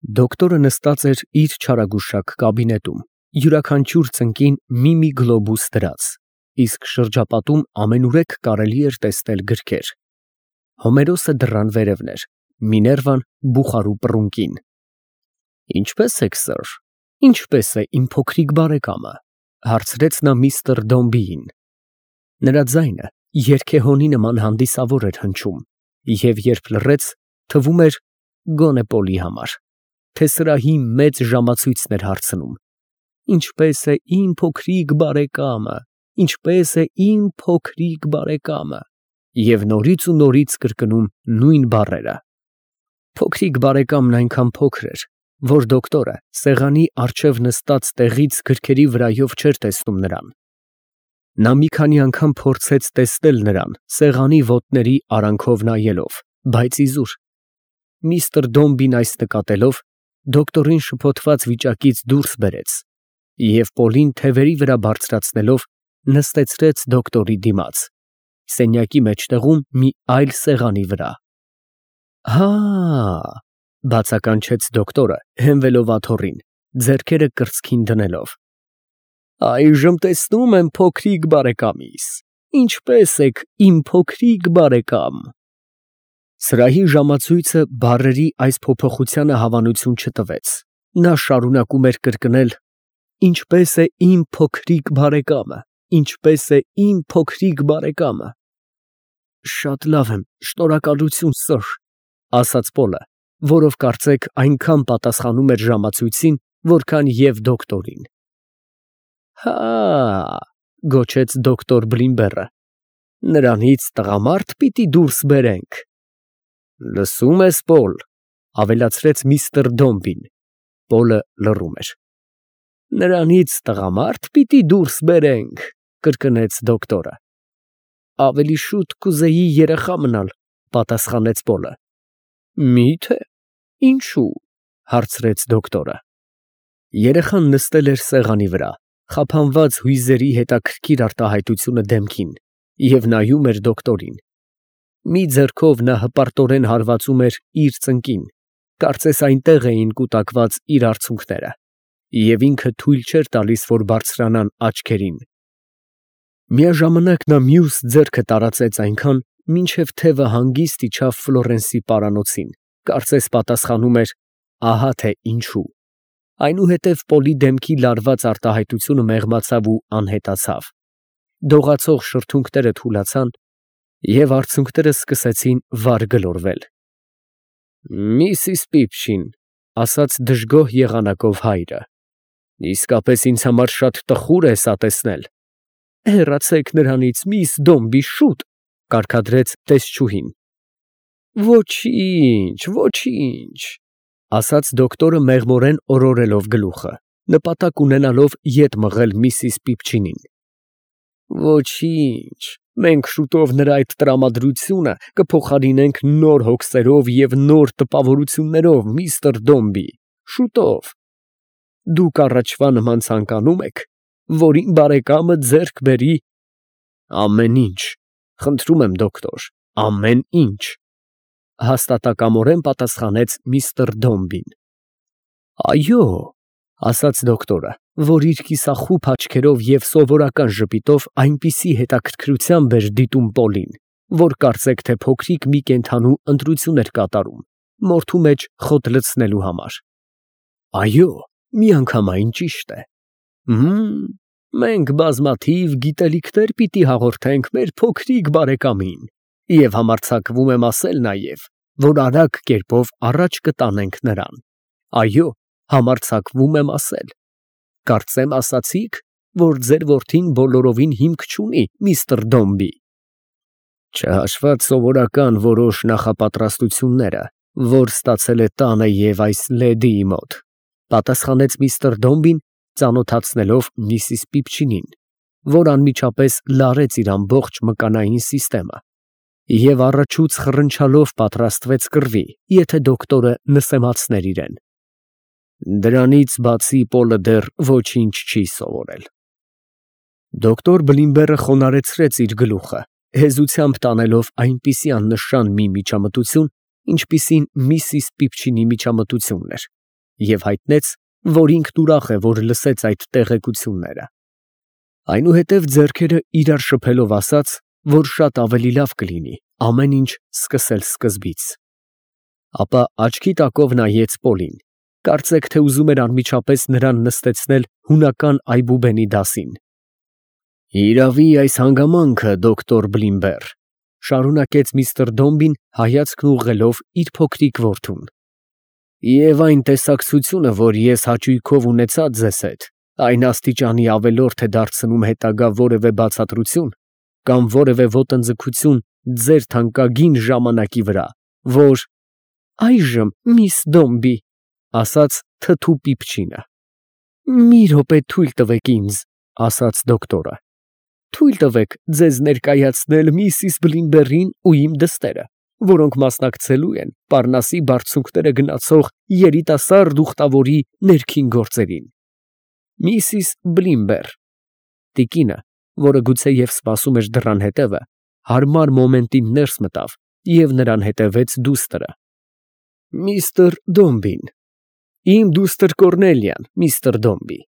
Դոկտորը նստած էր իր չարագուշակ կաբինետում, յուրաքանչյուր ծնկին մի գլոբուս դրած, իսկ շրջապատում ամենուրեք կարելի էր տեսնել գրքեր. Հոմերոսը դռան վերևն էր, Միներվան բուխարու պռունկին։ Ինչպե՞ս եք, սըր, ինչպե՞ս է իմ փոքրիկ բարեկամը, հարցրեց նա միստր Դոմբիին։ Նրա ձայնը երգեհոնի նման հանդիսավոր էր հնչում, և երբ լռեց, թվում էր գոնե Պոլի համար, թե սրահի մեծ ժամացույցն էր հարցնում. Ինչպե՞ս է իմ փոքրիկ բարեկամը, ինչպե՞ս է իմ փոքրիկ բարեկամը, և նորից ու նորից կրկնում նույն բառերը։ Փոքրիկ բարեկամն այնքան փոքր էր, որ դոկտորը սեղանի առջև նստած տեղից գրքերի վրայով չէր տեսնում նրան։ Նա մի քանի անգամ փորձեց տեսնել նրան սեղանի ոտների արանքով նայելով, բայց իզուր։ Միստր Դոմբին այս նկատելով, դոկտորին շփոթված վիճակից դուրս բերեց և Պոլին թևերի վրա բարձրացնելով նստեցրեց դոկտորի դիմաց, սենյակի մեջտեղում մի այլ սեղանի վրա։ Հա, բացականչեց դոկտորը, հենվելով աթոռին, ձեռքերը կրծքին դնելով։ Այժմ տեսնում եմ փոքրիկ բարեկամիս, ինչպե՞ս եք իմ փոքրիկ բարեկամ։ Սրահի ժամացույցը բառերի այս փոփոխությանը հավանություն չտվեց, նա շարունակում էր կրկնել. Ինչպե՞ս է իմ փոքրիկ բարեկամը, ինչպե՞ս է իմ փոքրիկ բարեկամը։ Շատ լավ եմ, շնորհակալություն, սըր, ասաց Պոլը, որով կարծեք այնքան պատասխանում էր ժամացույցին, որքան և դոկտորին։ Հա, գոչեց դոկտոր Բլիմբերը, նրանից տղամարդ պիտի դուրս բերենք։ Լսում ես, Պոլ, ավելացրեց միստր Դոմբին։ Պոլը լռում էր։ Նրանից տղամարդ պիտի դուրս բերենք, կրկնեց դոկտորը։ Ավելի շուտ կուզեի երեխա մնալ, պատասխանեց Պոլը։ Մի՞թե, ինչու, հարցրեց դոկտորը։ Երեխան նստել էր սեղանի վրա, խափանված հույզերի հետաքրքիր արտահայտությունը դեմքին, և նայում էր դոկտորին։ Մի ձեռքով նա հպարտորեն հարվածում էր իր ծնկին, կարծես այնտեղ էին կուտակված իր արցունքները, և ինքը թույլ չէր տալիս, որ բարձրանան աչքերին։ Միաժամանակ նա մյուս ձեռքը տարածեց այնքան, մինչև թևը հանգիստ իջավ Ֆլորենսի պարանոցին, կարծես պատասխանում էր. ահա թե ինչու։ Այնուհետև Պոլի դեմքի լարված արտահայտությունը մեղմացավ ու անհետացավ։ Դողացող շրթունքները թուլացան, և արցունքները սկսեցին վար գլորվել։ Միսիս Պիպչին, ասաց դժգոհ եղանակով հայրը, իսկապես ինձ համար շատ տխուր է սա տեսնել։ Հեռացեք նրանից, միս Դոմբի, շուտ, կարգադրեց տեսչուհին։ Ոչինչ, ոչինչ, ասաց դոկտորը մեղմորեն օրորելով գլուխը, նպատակ ունենալով ետ մղել միսիս Պիպչինին։ Ոչինչ, մենք շուտով նրա այդ տրամադրությունը կփոխարինենք նոր հոգսերով և նոր տպավորություններով, միստր Դոմբի, շուտով։ Դուք առաջվա նման ցանկանում եք, որ իմ բարեկամը ձեռք բերի։ Ամեն ինչ, խնդրում եմ, դոկտոր, ամեն ինչ, հաստատակամորեն պատասխանեց միստր Դոմբին։ Այո, ասաց դոկտորը, որ իր կիսախուփ աչքերով և սովորական ժպիտով այնպիսի հետաքրքրությամբ էր դիտում Պոլին, որ կարծեք թե փոքրիկ մի կենդանու ընտրություն էր կատարում, մորթու մեջ խոտ լցնելու համար։ Այո, միանգամայն ճիշտ է։ Մենք բազմաթիվ գիտելիքներ պիտի հաղորդենք մեր փոքրիկ բարեկամին, և համարձակվում եմ ասել նաև, որ արագ կերպով առաջ կտանենք նրան։ Այո, համարձակվում եմ ասել։ Կարծեմ ասացիք, որ ձեր որդին բոլորովին հիմք չունի, միստր Դոմբի։ Չհաշված սովորական որոշ նախապատրաստությունները, որ ստացել է տանը և այս լեդիի մոտ, պատասխանեց միստր Դոմբին, ծանոթացնելով միսիս Պիպչինին, որ անմիջապես լարեց իր ամբողջ մկանային սիստեմը և առաջուց խռնչալով պատրաստվեց կռվի, եթե դոկտորը նսեմացներ իրեն։ Դրանից բացի Պոլը դեռ ոչինչ չի սովորել։ Դոկտոր Բլիմբերը խոնարհեցրեց իր գլուխը, հեզությամբ տանելով այնպիսի աննշան մի միջամտություն, ինչպիսին միսիս Պիպչինի միջամտությունն էր, և հայտնեց, որ ինքն ուրախ է, որ լսեց այդ տեղեկությունները։ Այնուհետև ձեռքերը իրար շփելով ասաց, որ շատ ավելի լավ կլինի ամեն ինչ սկսել սկզբից։ Ապա աչքի տակով նայեց Պոլին, կարծեք թե ուզում էր անմիջապես նրան նստեցնել հունական այբուբենի դասին։ Իրավի այս հանգամանքը, դոկտոր Բլիմբեր, շարունակեց միստր Դոմբին հայացքն ուղղելով իր փոքրիկ որդուն, և այն տեսակցությունը, որ ես հաճույքով ունեցած ձեզ հետ, այն աստիճանի ավելորդ է դարձնում հետագա որևէ բացատրություն կամ որևէ ոտնձգություն ձեր թանկագին ժամանակի վրա, որ… Այժմ, միս Դոմբի, ասաց թթու պիպչինը։ Մի րոպե թույլ տվեք ինձ, ասաց դոկտորը։ Թույլ տվեք ձեզ ներկայացնել միսիս Բլիմբերին ու իմ դստերը, որոնք մասնակցելու են Պարնասի բարձունքները գնացող երիտասարդ ուխտավորի ներքին գործերին։ Միսիս Բլիմբեր։ Տիկինը, որը գուցեև սպասում էր դռան հետևը, հարմար մոմենտին ներս մտավ և նրան հետևեց դուստրը։ Միստր Դոմբին։ Իմ դուստր Կոռնելիան, միստր Դոմբի։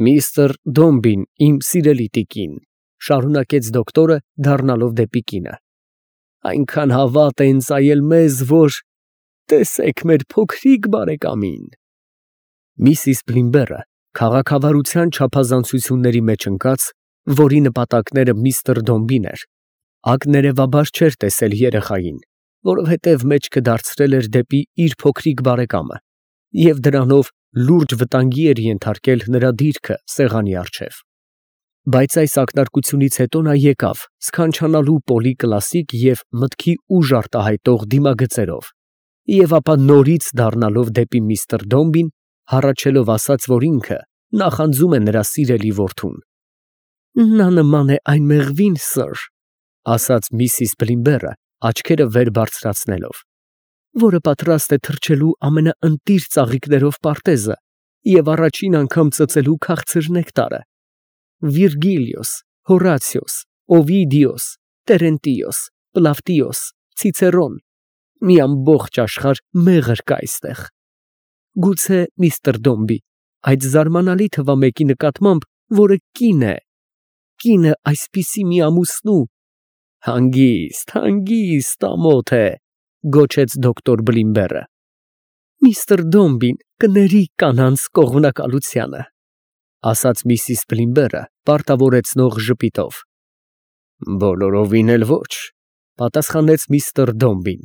Միստր Դոմբին, իմ սիրելի տիկին, շարունակեց դոկտորը, դառնալով դեպի կինը։ Այնքան հավատ է ընծայել մեզ, որ… Տեսեք մեր փոքրիկ բարեկամին։ Միսիս Բլիմբերը քաղաքավարության չափազանցությունների մեջ ընկած, որի նպատակները միստր Դոմբին էր, ակներևաբար չէր տեսել երեխային, որովհետև մեջքը դարձրել էր դեպի իր փոքրիկ բարեկամը և դրանով լուրջ վտանգի էր ենթարկել նրա դիրքը սեղանի առջև։ Բայց այս ակնարկությունից հետո նա եկավ, սքանչանալու Պոլի կլասիկ և մտքի ուժ արտահայտող դիմագծերով, և ապա նորից դառնալով դեպի միստր Դոմբին, հառաչելով ասաց, որ ինքը նախանձում է նրա սիրելի որդուն։ Նա նման է այն մեղվին, սըր, ասաց միսիս Բլիմբերը, աչքերը վեր բարձրացնելով, որը պատրաստ է թռչելու ամենաընտիր ծաղիկներով պարտեզը և առաջին անգամ ծծելու քաղցր նեկտարը։ Վիրգիլիոս, Հորացիոս, Օվիդիոս, Տերենտիոս, Պլավտիոս, Ցիցերոն, մի ամբողջ աշխարհ մեղր կա այստեղ։ Գուցե, միստր Դոմբի, այդ զարմանալի թվամեկի նկատմամբ, որը կին է այսպիսի մի ամուսնու… Հանգիստ, հանգիստ, ամոթ է, գոչեց դոկտոր Բլիմբերը։ Միստր Դոմբին կների կանանց կողմնակալությանը, ասաց միսիս Բլիմբերը պարտավորեցնող ժպիտով։ Բոլորովին էլ ոչ, պատասխանեց միստր Դոմբին։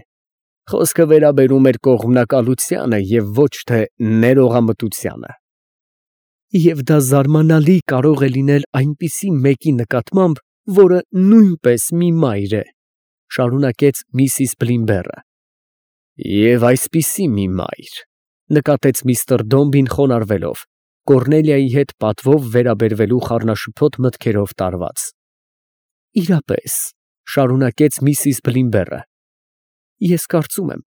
Խոսքը վերաբերում էր կողմնակալությանը և ոչ թե ներողամտությանը։ Եվ դա զարմանալի կարող է լինել այնպիսի մեկի նկատմամբ, որը նույնպես մի մայր է, շարունակեց միսիս Բլիմբերը։ Եվ այսպիսի մի մայր, նկատեց միստր Դոմբին խոնարհվելով, Կոռնելիայի հետ պատվով վերաբերվելու խառնաշփոթ մտքերով տարված։ Իրապես, շարունակեց միսիս Բլիմբերը, ես կարծում եմ,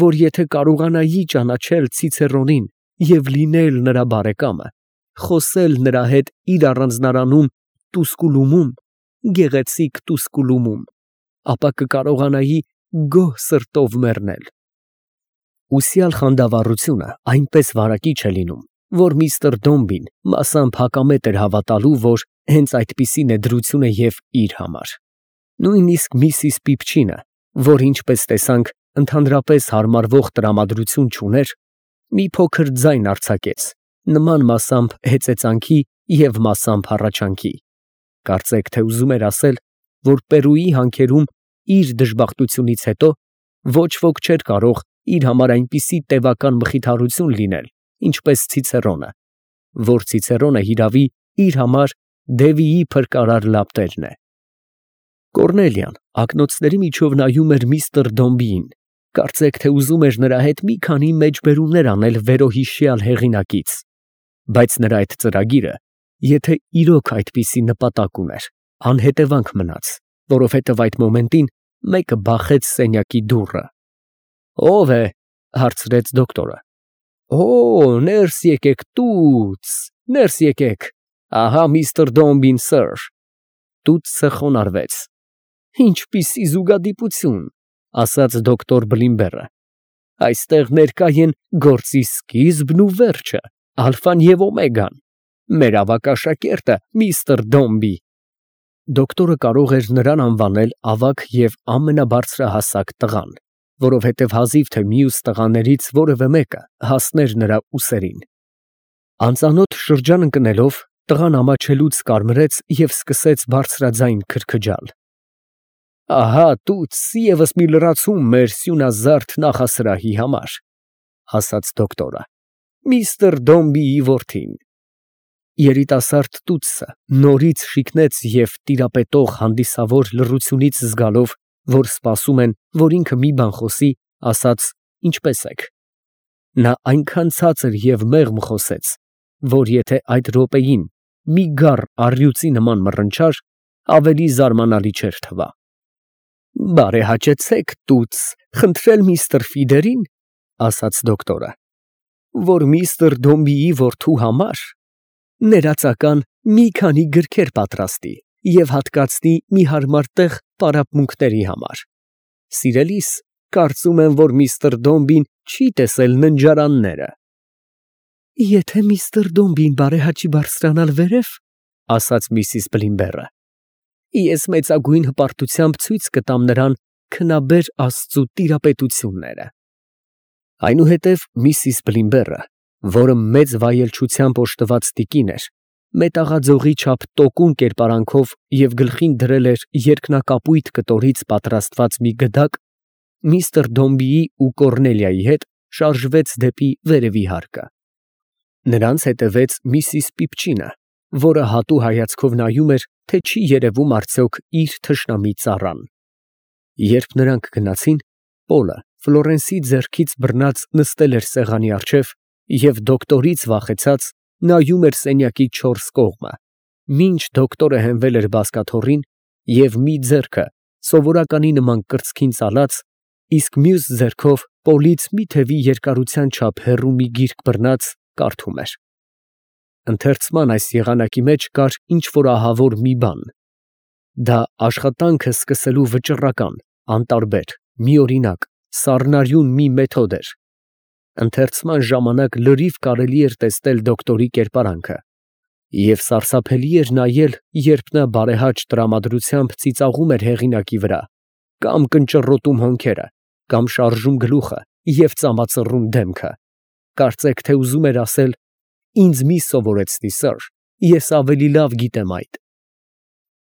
որ եթե կարողանայի ճանաչել Ցիցերոնին և լինել նրա բարեկամը, խոսել նրա հետ իր առանձնարանում Տուսկուլումում, գեղեցիկ Տուսկուլումում, ապա կկարողանայի գոհ սրտով մեռնել։ Ուսյալ խանդավառությունը այնպես վարակիչ է լինում, որ միստր Դոմբին մասամբ հակամետ էր հավատալու, որ հենց այդպիսին է դրությունը և իր համար։ Նույնիսկ միսիս Պիպչինը, որ ինչպես տեսանք, ընդհանրապես հարմարվող տրամադրություն չուներ, մի փոքր ձայն արձակեց, նման մասամբ հեծեծանքի և մասամբ հառաչանքի։ Կարծեք թե ուզում էր ասել, որ Պերուի հանքերում իր դժբախտությունից հետո ոչ ոք չէր կարող իր համար այնպիսի տևական մխիթարություն լինել, ինչպես Ցիցերոնը, որ Ցիցերոնը հիրավի իր համար Դևիի փրկարար լապտերն է։ Կոռնելիան ակնոցների միջով նայում էր միստր Դոմբիին, կարծեք թե ուզում էր նրա հետ մի քանի մեջբերումներ անել վերոհիշյալ հեղինակից, բայց նրա այդ ծրագիրը, եթե իրոք այդպիսի նպատակ ուներ, անհետևանք մնաց, որովհետև այդ մոմենտին մեկը բախեց սենյակի դուռը։ Ո՞վ է, հարցրեց դոկտորը։ Օ, ներս եկեք տուց, ներս եկեք, ահա միստր Դոմբին, սըր։ Տուցը խոնարհվեց։ Ինչպիսի զուգադիպություն, ասաց դոկտոր Բլիմբերը։ Այստեղ ներկա են գործի սկիզբն ու վերջը, ալֆան և օմեգան։ Մեր ավագ աշակերտը միստր Դոմբի։ Դոկտորը կարող էր նրան անվանել ավագ և ամենաբարձրահասակ տղան, որովհետև հազիվ թե մյուս տղաներից որևէ մեկը հասներ նրա ուսերին։ Անծանոթ շրջան ընկնելով, տղան ամաչելուց կարմրեց և սկսեց բարձրաձայն քրքջալ։ «Ահա տուց ևս մի լրացում մեր սյունազարդ նախասրահի համար», ֊ ասաց դոկտորը։ «Միստր Դոմբիի որդին»։ Երիտասարդ տուտսը նորից շիկնեց և տիրապետող հանդիսավոր լռությունից զգալով, որ սպասում են, որ ինքը մի բան խոսի, ասաց. «Ինչպե՞ս եք»։ Նա այնքան ցածր և մեղմ խոսեց, որ եթե այդ րոպեին մի գառ առյուծի նման մռնչար, ավելի զարմանալի չէր թվա։ «Բարեհաճեցեք, տուց, խնդրել միստր Ֆիդերին, ֊ ասաց դոկտորը, ֊ որ միստր Դոմբիի որդու համար ներածական մի քանի գրքեր պատրաստի և հատկացնի մի հարմար տեղ պարապմունքների համար։ Սիրելիս, կարծում եմ, որ միստր Դոմբին չի տեսել ննջարանները»։ «Եթե միստր Դոմբին բարեհաճի բարձրանալ վերև, ֊ ասաց միսիս Բլիմբերը, ֊ ես մեծագույն հպարտությամբ ցույց կտամ նրան քնաբեր Աստծու տիրապետությունները»։ Այնուհետև միսիս Բլիմբերը, որը մեծ վայելչությամբ օժտված տիկին էր, մետաղաձողի չափ տոկուն կերպարանքով և գլխին դրել էր երկնակապույտ կտորից պատրաստված մի գդակ, միստր Դոմբիի ու Կոռնելիայի հետ շարժվեց դեպի վերևի հարկը։ Նրանց հետևեց միսիս Պիպչինը, որը հատու հայացքով նայում էր, թե չի երևում արդյոք իր թշնամի ծառան։ Երբ նրանք գնացին, Պոլը Ֆլորենսի ձեռքից բռնած նստել էր սեղանի առջև և դոկտորից վախեցած նայում էր սենյակի չորս կողմը, մինչ դոկտորը հենվել էր բազկաթոռին և մի ձեռքը սովորականի նման կրծքին ծալած, իսկ մյուս ձեռքով Պոլից մի թևի երկարության չափ հեռու մի գիրք բռնած, կարդում էր։ Ընթերցման այս եղանակի մեջ կար ինչ֊որ ահավոր մի բան։ Դա աշխատանքը սկսելու վճռական, անտարբեր, միօրինակ, սառնարյուն մի մեթոդ էր։ Ընթերցման ժամանակ լրիվ կարելի էր տեսնել դոկտորի կերպարանքը, և սարսափելի էր նայել, երբ նա բարեհաճ տրամադրությամբ ծիծաղում էր հեղինակի վրա, կամ կնճռոտում հոնքերը, կամ շարժում գլուխը և ծամածռում դեմքը, կարծեք թե ուզում էր ասել. «Ինձ մի սովորեցնի, սըր, ես ավելի լավ գիտեմ այդ»։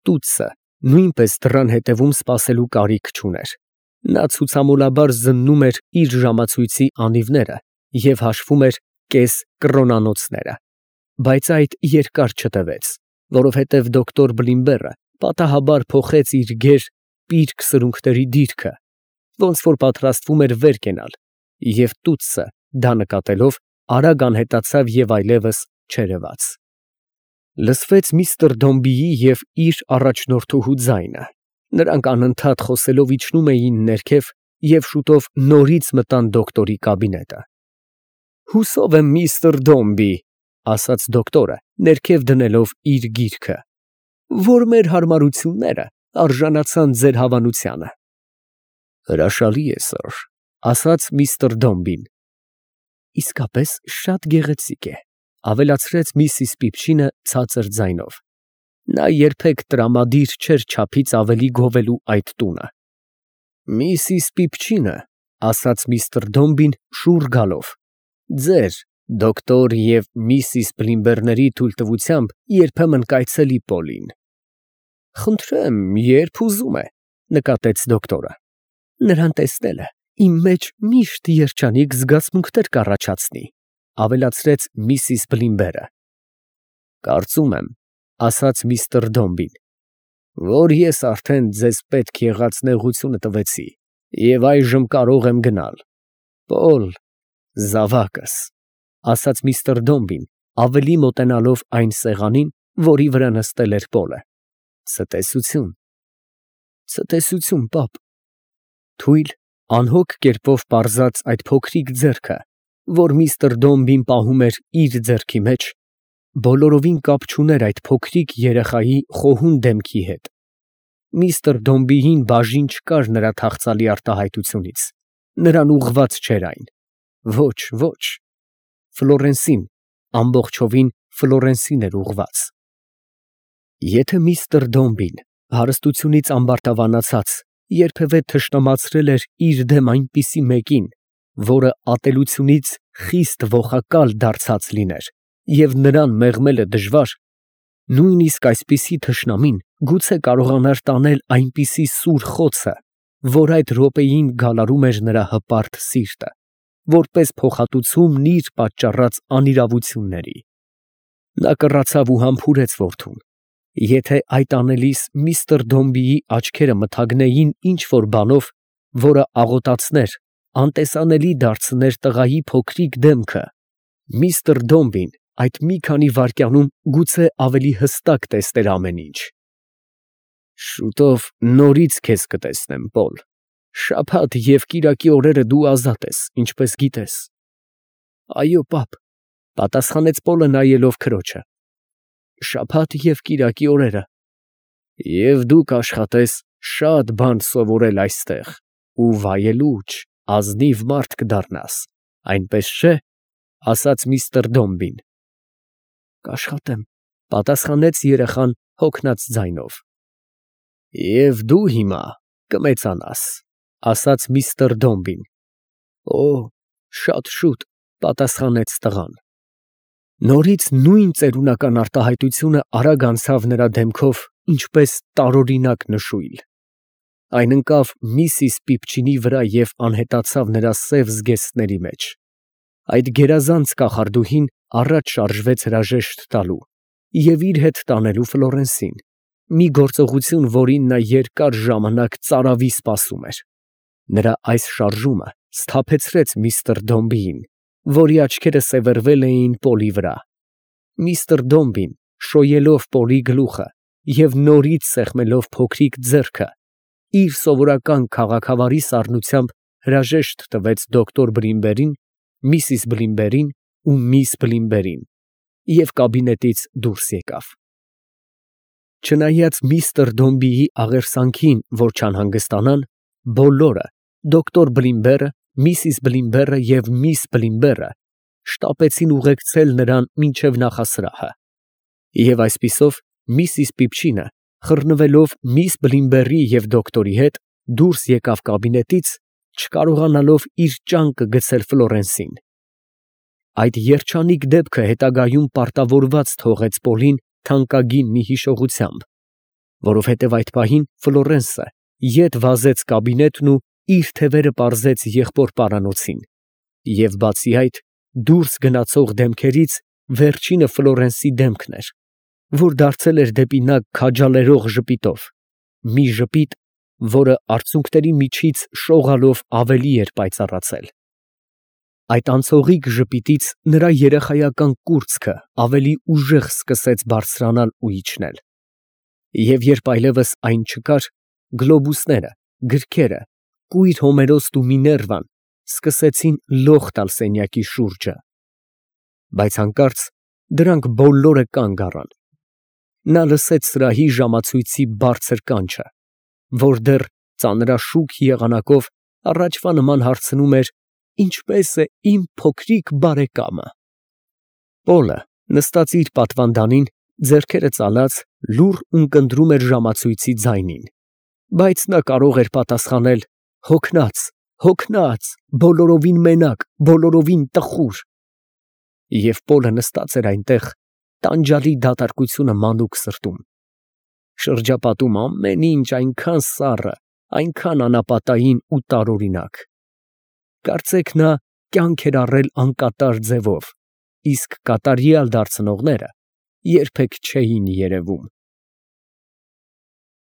Տուտսը նույնպես դռան հետևում սպասելու կարիք չուներ։ Նա ցուցամոլաբար զննում էր իր ժամացույցի անիվները և հաշվում էր կես կրոնանոցները, բայց այդ երկար չտևեց, որովհետև դոկտոր Բլիմբերը պատահաբար փոխեց իր գեր պիրկ սրունքների դիրքը, ոնց որ պատրաստվում էր վեր կենալ, և տուտսը, դա նկատելով, արագ անհետացավ և այլևս չերևաց։ Լսվեց միստր Դոմբիի և իր առաջնորդուհու ձայնը։ Նրանք անընդհատ խոսելով իջնում էին ներքև և շուտով նորից մտան դոկտորի կաբինետը։ «Հուսով եմ, միստր Դոմբի, ֊ ասաց դոկտորը, ներքև դնելով իր գիրքը, ֊ որ մեր հարմարությունները արժանացան ձեր հավանությանը»։ «Հրաշալի է, սըր, ֊ ասաց միստր Դոմբին։ ֊ Իսկապես շատ գեղեցիկ է, ֊ ավելացրեց միսիս Պիպչինը ցածր ձայնով։ Նա երբեք տրամադիր չէր չափից ավելի գովելու այդ տունը։ «Միսիս Պիպչինը, ֊ ասաց միստր Դոմբին շուռ գալով, ֊ ձեր, դոկտոր և միսիս Բլիմբերների թույլտվությամբ երբեմն կայցելի Պոլին»։ «Խնդրեմ, երբ ուզում է, ֊ նկատեց դոկտորը։ ֊ Նրան տեսնելը իմ մեջ միշտ երջանիկ զգացմունքներ կառաջացնի, ֊ ավելացրեց միսիս Բլիմբերը։ «Կարծում եմ, ֊ ասաց միստր Դոմբին, ֊ որ ես արդեն ձեզ պետք եղած նեղությունը տվեցի և այժմ կարող եմ գնալ։ Պոլ, զավակս, ֊ ասաց միստր Դոմբին, ավելի մոտենալով այն սեղանին, որի վրա նստել էր Պոլը։ ֊ Ցտեսություն։ ֊ Ցտեսություն, պապ։ Թույլ, անհոգ կերպով պարզած այդ փոքրիկ ձեռքը, որ միստր Դոմբին պահում էր իր ձեռքի մեջ, բոլորովին կապ չուներ այդ փոքրիկ երեխայի խոհուն դեմքի հետ։ Միստր Դոմբիին բաժին չկար նրա թախծալի արտահայտությունից, Նրան ուղղված չէր այն։ Ոչ, ոչ, Ֆլորենսին, ամբողջովին Ֆլորենսին էր ուղղված։ Եթե միստր Դոմբին հարստությունից ամբարտավանացած երբևէ թշնամացրել էր իր դեմ այնպիսի մեկին, որը ատելությունից խիստ ողակալ դարձած լիներ, և նրան մեղմելը դժվար, նույնիսկ այսպիսի թշնամին գուցե կարողանար տանել այնպիսի սուր խոցը, որ այդ րոպեին գալարում էր նրա հպարտ սիրտը, որպես փոխհատուցում իր պատճառած անիրավությունների։ Նա կռացավ ու համբուրեց որդուն. եթե այդ անելիս միստր Դոմբիի աչքերը մթագնեին ինչ֊որ բանով, որը աղոտացներ, անտեսանելի դարձներ տղայի փոքրիկ դեմքը, միստր Դոմբին այդ մի քանի վայրկյանում գուցե ավելի հստակ տեսներ ամեն ինչ։ Շուտով նորից քեզ կտեսնեմ, Պոլ։ Շաբաթ և կիրակի օրերը դու ազատ ես, ինչպես գիտես։ Այո, պապ, պատասխանեց Պոլը նայելով քրոջը։ Շաբաթ և կիրակի օրերը։ Եվ դու կաշխատես շատ բան սովորել այստեղ ու վայելուչ, ազնիվ մարդ կդառնաս, այնպես չէ՞, ասաց միստր Դոմբին։ Կաշխատեմ, պատասխանեց երեխան հոգնած ձայնով։ Եվ դու հիմա կմեծանաս, ասաց միստր Դոմբին։ Օ, շատ շուտ, պատասխանեց տղան։ Նորից նույն ծերունական արտահայտությունը արագ անցավ նրա դեմքով, ինչպես տարօրինակ նշույլ։ Այն ընկավ միսիս Պիպչինի վրա և անհետացավ նրա սև զգեստների մեջ։ Այդ գերազանց կախարդուհին առաջ շարժվեց հրաժեշտ տալու և իր հետ տանելու Ֆլորենսին, մի գործողություն, որին նա երկար ժամանակ ծարավի սպասում էր։ Նրա այս շարժումը սթափեցրեց միստր Դոմբիին, որի աչքերը սևեռվել էին Պոլի վրա։ Միստր Դոմբին, շոյելով Պոլի գլուխը և նորից սեղմելով փոքրիկ ձեռքը, իր սովորական քաղաքավարի սառնությամբ հրաժեշտ տվեց դոկտոր Բլիմբերին, միսիս Բլիմբերին ու միս Բլիմբերին և կաբինետից դուրս եկավ։ Չնայած միստր Դոմբիի աղերսանքին, որ չանհանգստանան, բոլորը, դոկտոր Բլիմբերը, միսիս Բլիմբերը և միս Բլիմբերը, շտապեցին ուղեկցել նրան մինչև նախասրահը։ Եվ այսպիսով միսիս Պիպչինը, խռնվելով միս Բլիմբերի և դոկտորի հետ, դուրս եկավ կաբինետից, չկարողանալով իր ճանկը գցել Ֆլորենսին։ Այդ երջանիկ դեպքը հետագայում պարտավորված թողեց Պոլին թանկագին մի հիշողությամբ, որովհետև այդ պահին Ֆլորենսը ետ վազեց կաբինետն ու իր թևերը պարզեց եղբոր պարանոցին, և բացի այդ, դուրս գնացող դեմքերից վերջինը Ֆլորենսի դեմքն էր, որ դարձել էր դեպի նա քաջալերող ժպիտով, մի ժպիտ, որը արցունքների միջից շողալով ավելի էր պայծառացել։ Այդ անցողիկ ժպիտից նրա երեխայական կուրծքը ավելի ուժեղ սկսեց բարձրանալ ու իջնել։ Եվ երբ այլևս այն չկար, գլոբուսները, գրքերը, կույր Հոմերոսն ու Միներվան սկսեցին լող տալ սենյակի շուրջը։ Բայց հանկարծ դրանք բոլորը կանգ առան։ Նա լսեց սրահի ժամացույցի բարձր կանչը, որ դեռ ծանրաշուք եղանակով առաջվա նման հարցնում էր. «Ինչպե՞ս է իմ փոքրիկ բարեկամը»։ Պոլը նստած իր պատվանդանին, ձեռքերը ծալած, լուռ ունկնդրում էր ժամացույցի ձայնին, բայց նա կարող էր պատասխանել. «Հոգնած, հոգնած, բոլորովին մենակ, բոլորովին տխուր»։ Եվ Պոլը նստած էր այնտեղ, տանջալի դատարկությունը մանուկ սրտում։ Շրջապատում ամեն ինչ այնքան սառը, այնքան անապատային ու տարօրինակ։ Կարծեք նա կյանք էր առել անկատար ձևով, իսկ կատարյալ դարձնողները երբեք չէին երևում։